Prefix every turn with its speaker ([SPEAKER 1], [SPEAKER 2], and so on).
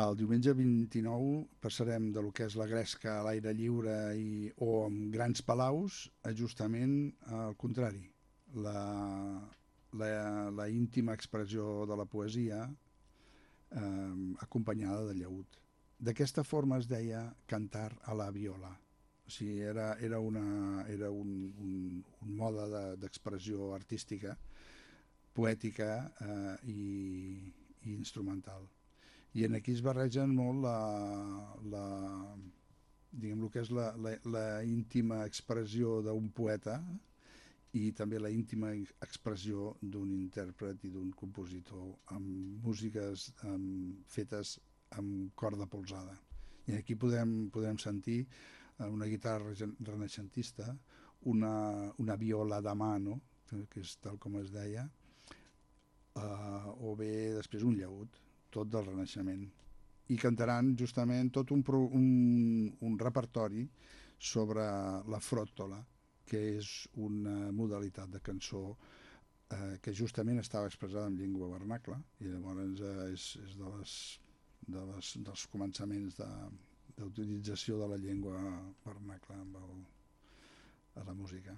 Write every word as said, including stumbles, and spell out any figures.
[SPEAKER 1] El diumenge vint-i-nou passarem de lo que és la gresca a l'aire lliure i, o amb grans palaus a justament al contrari, la, la, la íntima expressió de la poesia eh, acompanyada de llaüt. D'aquesta forma es deia cantar a la viola. O sigui, era, era, una, era un, un, un mode d'expressió de, artística, poètica eh, i, i instrumental. I en aquí es barregen molt la, la, diguem, el que és la, la, la íntima expressió d'un poeta i també la íntima expressió d'un intèrpret i d'un compositor amb músiques amb, fetes amb corda polsada. I aquí podem, podem sentir una guitarra renaixentista, una, una viola de mano, que és tal com es deia, eh, o bé després un llaüt, tot del Renaixement. I cantaran justament tot un, pro, un, un repertori sobre la fròttola, que és una modalitat de cançó eh, que justament estava expressada en llengua vernacla i llavors eh, és, és de les, de les, dels començaments de, d'utilització de la llengua vernacla amb el, a la música.